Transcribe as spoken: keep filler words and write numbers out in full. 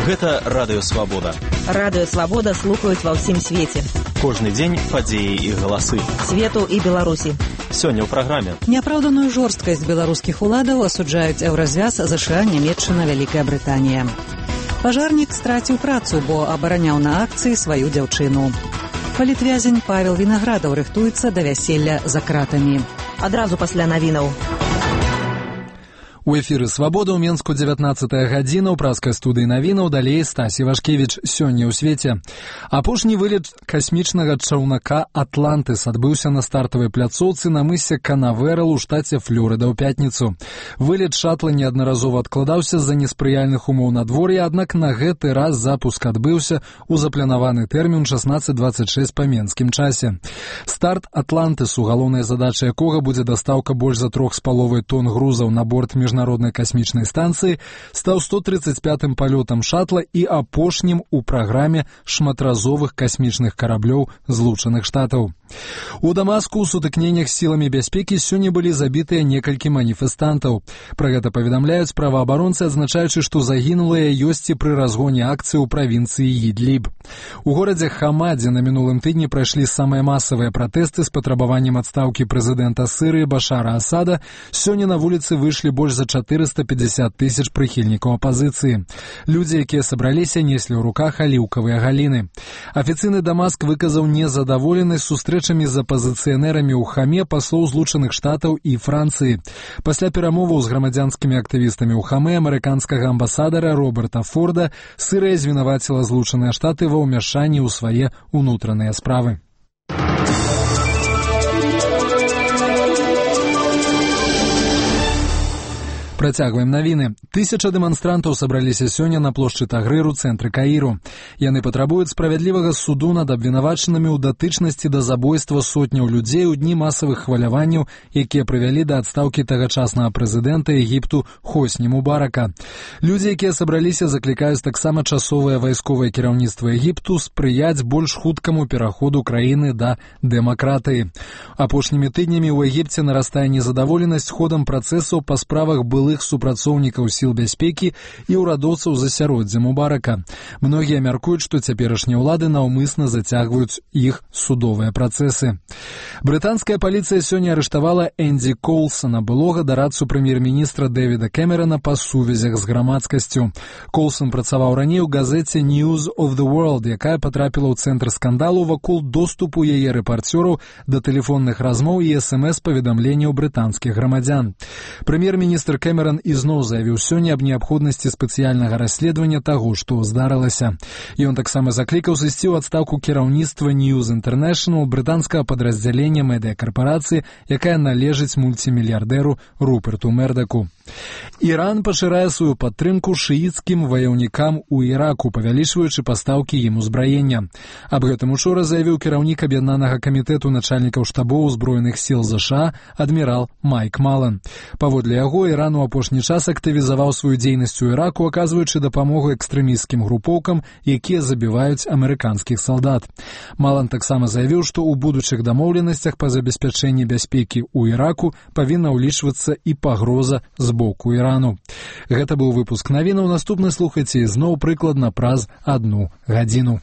Гэта Радыё Свабода. Радыё Свабода слухаюць ва ўсім свеце. Кожны дзень падзеі і галасы. Свету і Беларусі. Сёння ў праграме. Няпраўданую жорсткасць беларускіх уладаў асуджаюць Еўразвяз, ЗША, Нямецчына, Вялікая Брытанія. Пажарнік страціў працу, бо абараняў на акцыі сваю дзяўчыну. Палітвязень Павел Вінаградаў рыхтуецца да вяселля за кратамі. Адразу пасля навінаў. У эфіры «Свабода» ў Менску дзевятнаццатая гадзіна, ў праскай студыі навінаў, далей Стасі Вашкевіч. Сёння ў свеце. Апошні вылет касмічнага чаўнака «Атлантыс» адбыўся на стартавай пляцоўцы на мысе Канаверал у штаце Флорыда ў пятніцу. Вылет шатла неаднаразова адкладаўся з-за неспрыяльных умоў надвор'я, аднак на гэты раз запуск адбыўся ў запланаваны тэрмін шаснаццаць дваццаць шэсць па менскім часе. Старт «Атлантысу», галоўная задача якога будзе дастаўка больш за трох з паловай тонн грузаў на борт міжнароднай Міжнароднай касмічнай станцыі, стаў сто трыццаць пятым палётам шатла і апошнім у праграме шматразовых касмічных караблёў Злучаных Штатаў. У Дамаску ў сутыкненнях з сіламі бяспекі сёння былі забітыя некалькі маніфестантаў. Пра гэта паведамляюць праваабаронцы, адзначаючы, што загінулыя ёсць і пры разгоне акцыі ў правінцыі Ідліб. У горадзе Хамадзе на мінулым тыдні прайшлі самыя масавыя пратэсты з патрабаваннем адстаўкі прэзідэнта Сырыі Башара Асада. Сёння на вуліцы выйшлі больш за чатырыста пятьдесят тысяч прыхільнікаў апазіцыі. Людзі, якія сабраліся, неслі ў руках аліўкавыя галіны. Афіцыйны Дамаск выказаў незадаволенасць сустрэчамі з апазіцыянерамі ў Хаме паслоў Злучаных Штатаў і Францыі. Пасля перамоваў з грамадзянскімі актывістамі ў Хаме амерыканскага амбасадара Роберта Форда Сырыя звінаваціла Злучаныя Штаты ва ўмяшанні ў свае ўнутраныя справы. Працягваем навіны. Тысяча дэманстрантаў сабраліся сёння на плошчы Тагрыр у цэнтры Каіру. Яны патрабуюць справядлівага суду над абвінавачанымі ў датычнасці да забойства сотняў людзей у дні масавых хваляванняў, якія прывялі да адстаўкі тагачаснага прэзідэнта Егіпту Хосні Мубарака. Людзі, якія сабраліся, заклікаюць таксама часовае вайсковае кіраўніцтва Егіпту спрыяць больш хуткаму пераходу краіны да дэмакратыі. Апошнімі тыднямі ў Егіпце нарастае незадаволенасць ходам працэсаў па справах былых супрацоўнікаў сіл бяспекі і ўрадоўцаў засяроддзя Мубарака. Многія мяркуюць, што цяперашнія ўлады наўмысна зацягваюць іх судовыя працэсы. Брытанская паліцыя сёння арыштавала Энді Коулсона, былога дарадцу прэм'ер-міністра Дэвіда Кэмерана па сувязях з грамадскасцю. Коулсон працаваў раней у газеце News of the World, якая патрапіла ў цэнтр скандалу вакол доступу яе рэпарцёраў да тэлефонных размоў і эс эм эс-паведамленняў брытанскіх грамадзян. Прэм'ер-міністр Кэмеран Кэмеран ізноў заявіў сёння аб неабходнасці спецыяльнага расследавання таго, што здарылася. Ён таксама заклікаў сысці ў адстаўку кіраўніцтва News International, брытанскага падраздзялення медыякарпарацыі, якая належыць мульцімільярдэру Руперту Мердаку. Іран пашырае сваю падтрымку шыіцкім ваяўнікам у Іраку, павялічваючы пастаўкі ім узбраення. Аб гэтым учора заявіў кіраўнік аб'яднанага камітэту начальнікаў штабоў узброеных сіл ЗША адмірал Майк Малан. Паводле яго, Іран у апошні час актывізаваў сваю дзейнасць у Іраку, аказваючы дапамогу экстрэмісцкім групоўкам, якія забіваюць амерыканскіх салдат. Малан таксама заявіў, што ў будучых дамоўленасцях па забеспячэнні бяспекі ў Іраку павінна ўлічвацца і пагроза з боку Ірану. Гэта быў выпуск навінаў. Наступны слухайце ізноў прыкладна праз адну гадзіну.